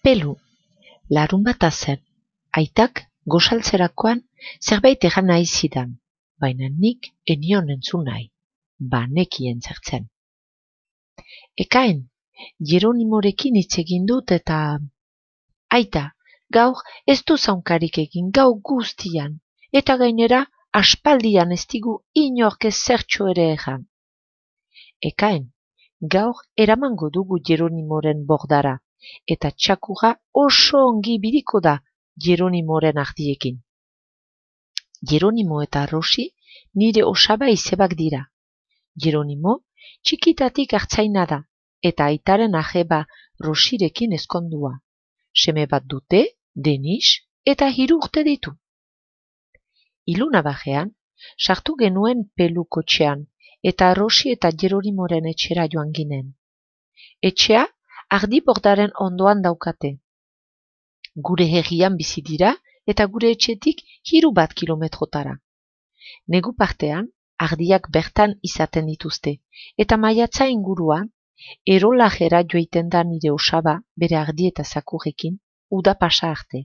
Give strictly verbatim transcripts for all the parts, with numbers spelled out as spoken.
Pelu, larun bata zen, aitak gosaltzerakoan zerbait egan nahi zidan, baina nik enion entzun nahi, banekien zertzen. Ekain, Jeronimorekin hitz egin dut eta... Aita, gaur ez du zaunkarik egin gau guztian, eta gainera aspaldian ez digu inork ezertxo ere egan. Ekain, gaur eramango dugu Jeronimoren bordara, eta txakurra oso ongi biriko da Jeronimoren ardiekin. Jeronimo eta Rosi nire osaba izebak dira. Jeronimo txikitatik hartzaina da, eta aitaren ajeba Rosirekin ezkondua. Seme bat dute, Denis, eta hiru urte ditu. Iluna bajean, sartu genuen Pelu kotxean, eta Rosi eta Jeronimoren etxera joan ginen. Etxea ardi bordaren ondoan daukate. Gure herrian bizi dira eta gure etxetik hiru bat kilometrotara. Negu partean, ardiak bertan izaten dituzte, eta maiatza inguruan, erolajera joiten da nire osaba bere ardi eta zakurrekin uda pasa arte.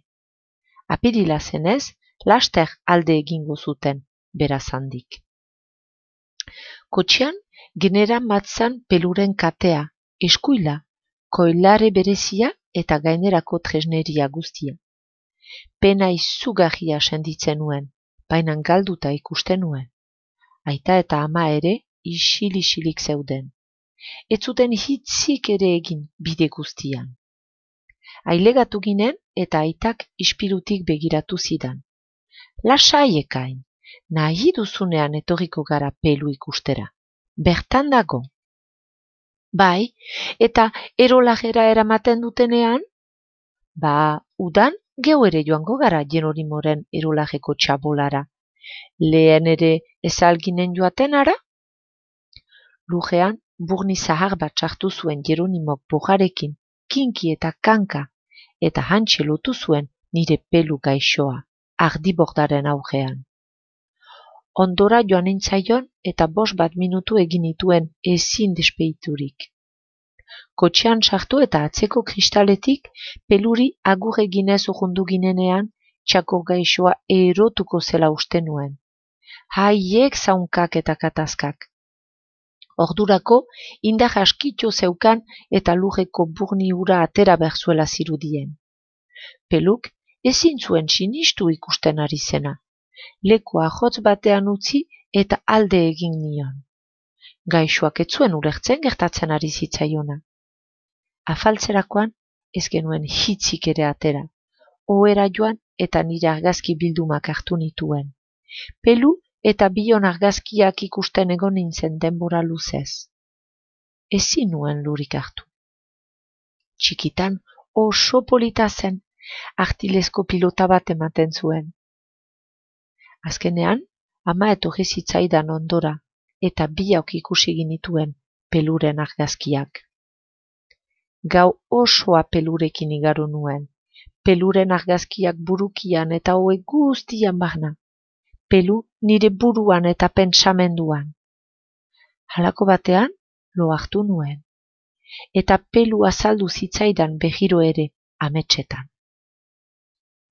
Apirila zenez, laster alde egingo zuten, beraz handik. Kotxean, genera matzan Peluren katea, eskuila, koilare berezia eta gainerako tresneria guztia. Pena izugarria senditzen nuen, baina galduta ikusten nuen. Aita eta ama ere isil-isilik zeuden. Ez zuten hitzik ere egin bide guztian. Ailegatu ginen eta aitak ispilutik begiratu zidan. Lasai ekain, nahi duzunean etorriko gara Pelu ikustera. Bertan dago. Bai, eta erolajera eramaten dutenean? Ba, udan geu ere joango gara Jeronimoren erolajeko txabolara. Lehen ere ezalginen joaten ara? Lujean, burni zahar bat sartu zuen Jeronimok bojarekin, kinki eta kanka, eta hantxe lotu zuen nire Pelu gaixoa, ardibordaren aurrean. Ondora joan nintzaion eta bost bat minutu egin nituen ezin despeiturik. Kotxean sartu eta atzeko kristaletik Peluri agur eginez urrundu ginenean txakur gaixoa erotuko zela uste nuen. Haiek zaunkak eta katazkak. Ordurako indar askitxo zeukan eta lurreko burni ura atera berzuela zirudien. Peluk ezin zuen sinistu ikusten ari zena. Lekua jotz batean utzi eta alde egin nion. Gaixoak ez zuen ulertzen gertatzen ari zitzaiona. Afaltzerakoan ez genuen hitzik ere atera. Ohera joan eta nire argazki bildumak hartu nituen. Pelu eta bion argazkiak ikusten egon nintzen denbora luzez. Ezin nuen lurik hartu. Txikitan oso polita zen, artilezko pilota bat ematen zuen. Azkenean, ama etorri zitzaidan ondora, eta biak ikusi ginituen Peluren argazkiak. Gau osoa Pelurekin igaro nuen, Peluren argazkiak burukian eta hoe guztian barna. Pelu nire buruan eta pentsamenduan. Halako batean, lo hartu nuen. Eta Pelu azaldu zitzaidan behiro ere ametsetan.